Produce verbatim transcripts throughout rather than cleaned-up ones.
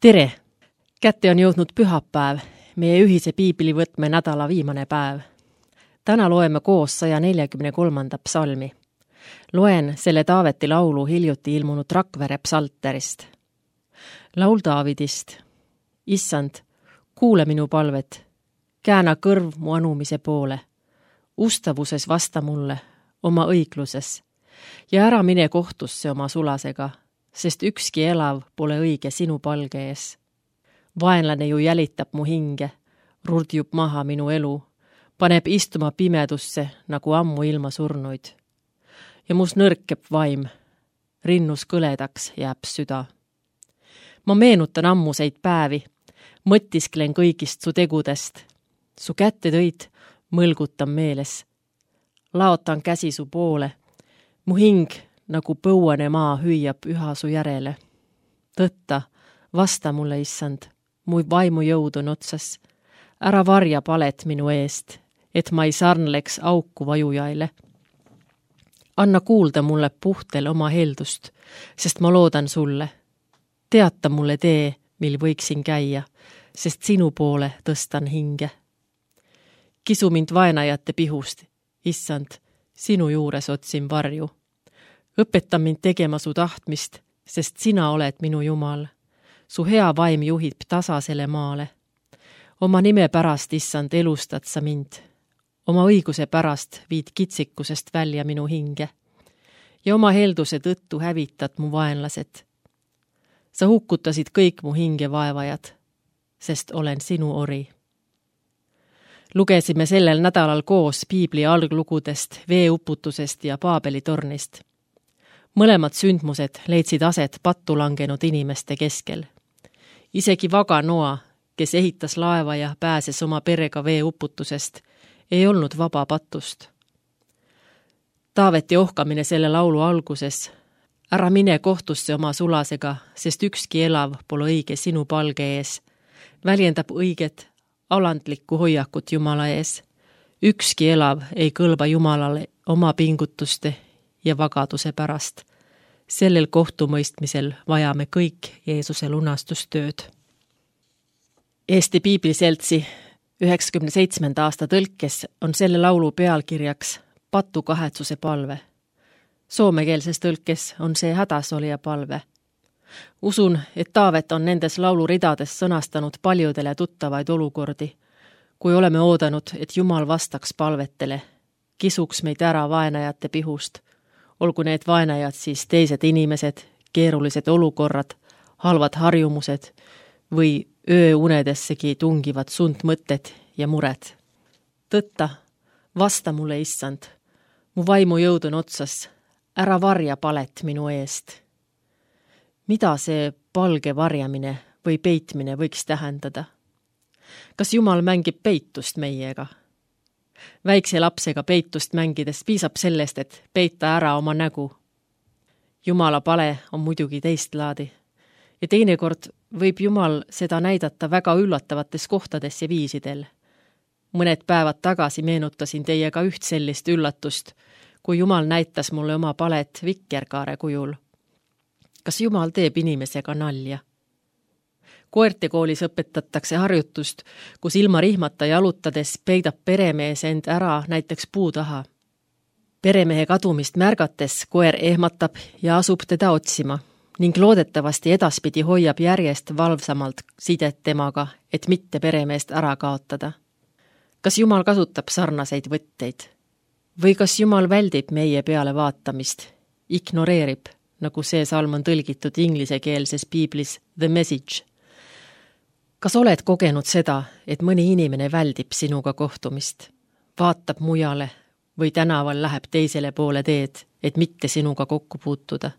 Tere! Kätte on jõudnud pühapäev, meie ühise piiblivõtme nädala viimane päev. Täna loeme koos saja neljakümne kolmanda psalmi. Loen selle Taaveti laulu hiljuti ilmunud Rakvere psalterist. Laul Daavidist. Issand, kuule minu palvet, kääna kõrv mu anumise poole. Ustavuses vasta mulle, oma õigluses, ja ära mine kohtusse oma sulasega, sest ükski elav pole õige sinu palge ees. Vaenlane ju jälitab mu hinge, rurdjub maha minu elu, paneb istuma pimedusse nagu ammu ilma surnuid. Ja mus nõrkeb vaim, rinnus kõledaks jääb süda. Ma meenutan ammuseid päevi, mõtisklen kõigist su tegudest. Su kätte tõid, mõlgutan meeles. Laotan käsi su poole, mu hing nagu põuane maa hüüab üha su järele. Tõtta, vasta mulle, issand, mu vaimu jõud on otsas. Ära varja palet minu eest, et ma ei sarnleks auku vajujaile. Anna kuulda mulle puhtel oma heldust, sest ma loodan sulle. Teata mulle tee, mil võiksin käia, sest sinu poole tõstan hinge. Kisu mind vaenajate pihust, issand, sinu juures otsin varju. Õpeta mind tegema su tahtmist, sest sina oled minu Jumal. Su hea vaim juhib tasasele maale. Oma nime pärast, issand, elustad sa mind. Oma õiguse pärast viid kitsikusest välja minu hinge. Ja oma helduse tõttu hävitad mu vaenlased. Sa hukkutasid kõik mu hinge vaevajad, sest olen sinu ori. Lugesime sellel nädalal koos piibli alglugudest, veeuputusest ja Paabeli tornist. Mõlemad sündmused leidsid aset pattu langenud inimeste keskel. Isegi vaga Noa, kes ehitas laeva ja pääses oma perega veeuputusest, ei olnud vaba patust. Taaveti ohkamine selle laulu alguses. Ära mine kohtusse oma sulasega, sest ükski elav pole õige sinu palge ees. Väljendab õiget, alandlikku hoiakut Jumala ees. Ükski elav ei kõlba Jumalale oma pingutuste ja vagaduse pärast. Sellel kohtumõistmisel vajame kõik Jeesuse lunastustööd. Eesti Piibliseltsi üheksakümne seitsmenda aasta tõlkes on selle laulu pealkirjaks Patu kahetsuse palve. Soomekeelses tõlkes on see hädasolija palve. Usun, et Taavet on nendes lauluridades sõnastanud paljudele tuttavaid olukordi, kui oleme oodanud, et Jumal vastaks palvetele, kisuks meid ära vaenajate pihust, olgu need vaenajad siis teised inimesed, keerulised olukorrad, halvad harjumused või ööunedessegi tungivad sundmõtted ja mured. Tõtta, vasta mulle, issand, mu vaimu jõud on otsas, ära varja palet minu eest. Mida see palge varjamine või peitmine võiks tähendada? Kas Jumal mängib peitust meiega? Väikse lapsega peitust mängides piisab sellest, et peita ära oma nägu. Jumala pale on muidugi teist laadi. Ja teinekord võib Jumal seda näidata väga üllatavates kohtades ja viisidel. Mõned päevad tagasi meenutasin teiega üht sellist üllatust, kui Jumal näitas mulle oma palet vikerkaare kujul. Kas Jumal teeb inimesega nalja? Koertekoolis õpetatakse harjutust, kus ilma rihmata jalutades peidab peremees end ära näiteks puu taha. Peremehe kadumist märgates koer ehmatab ja asub teda otsima ning loodetavasti edaspidi hoiab järjest valvsamalt sidet temaga, et mitte peremeest ära kaotada. Kas Jumal kasutab sarnaseid võtteid? Või kas Jumal väldib meie peale vaatamist, ignoreerib, nagu see salm on tõlgitud inglisekeelses piiblis The Message? Kas oled kogenud seda, et mõni inimene väldib sinuga kohtumist, vaatab mujale või tänaval läheb teisele poole teed, et mitte sinuga kokku puutuda?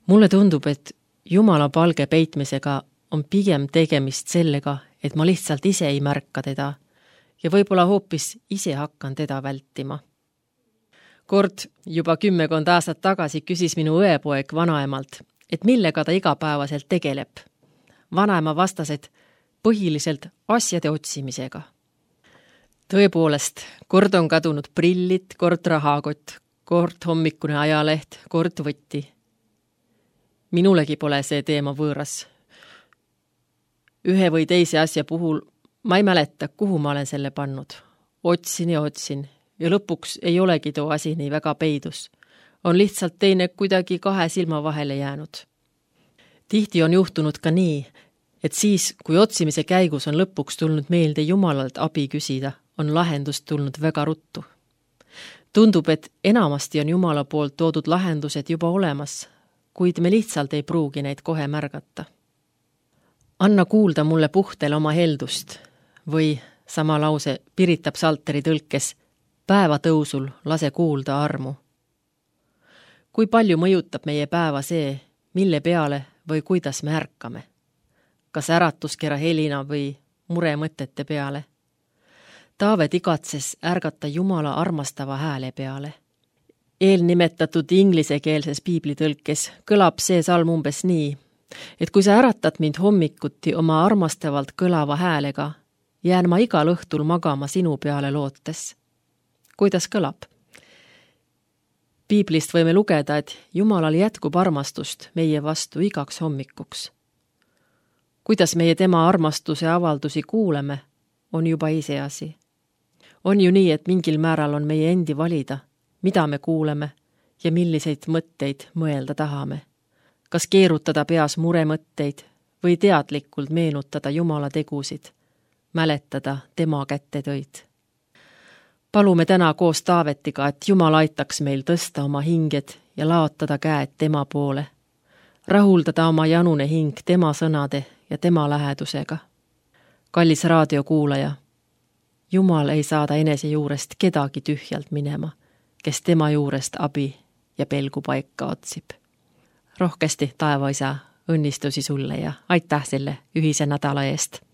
Mulle tundub, et Jumala palge peitmisega on pigem tegemist sellega, et ma lihtsalt ise ei märka teda ja võib-olla hoopis ise hakkan teda vältima. Kord juba kümmekond aastat tagasi küsis minu õepoeg vanaemalt, et millega ta igapäevaselt tegeleb. Vanaema vastas, et põhiliselt asjade otsimisega. Tõepoolest, kord on kadunud prillid, kord rahakott, kord hommikune ajaleht, kord võtti. Minulegi pole see teema võõras. Ühe või teise asja puhul ma ei mäleta, kuhu ma olen selle pannud. Otsin ja otsin ja lõpuks ei olegi too asi nii väga peidus. On lihtsalt teine kuidagi kahe silma vahele jäänud. Tihti on juhtunud ka nii, et siis, kui otsimise käigus on lõpuks tulnud meelde Jumalalt abi küsida, on lahendust tulnud väga ruttu. Tundub, et enamasti on Jumala poolt toodud lahendused juba olemas, kuid me lihtsalt ei pruugi neid kohe märgata. Anna kuulda mulle puhtel oma heldust või sama lause Pirita psalteri tõlkes päeva tõusul lase kuulda armu. Kui palju mõjutab meie päeva see, mille peale või kuidas me ärkame? Kas äratuskera helina või muremõtete peale? Taavet igatses ärgata Jumala armastava hääle peale. Eelnimetatud inglisekeelses piiblitõlkes kõlab see salm umbes nii, et kui sa äratad mind hommikuti oma armastavalt kõlava häälega, jään ma igal õhtul magama sinu peale lootes. Kuidas kõlab? Piiblist võime lugeda, et Jumalal jätkub armastust meie vastu igaks hommikuks. Kuidas meie tema armastuse avaldusi kuuleme, on juba iseasi. On ju nii, et mingil määral on meie endi valida, mida me kuuleme ja milliseid mõtteid mõelda tahame. Kas keerutada peas muremõtteid või teadlikult meenutada Jumala tegusid, mäletada tema kätte töid. Palume täna koos Taavetiga, et Jumal aitaks meil tõsta oma hinged ja laotada käed tema poole, rahuldada oma janune hing tema sõnade ja tema lähedusega. Kallis raadiokuulaja, Jumal ei saada enese juurest kedagi tühjalt minema, kes tema juurest abi ja pelgu paika otsib. Rohkesti, taevaisa, õnnistusi sulle ja aitäh selle ühise nädala eest!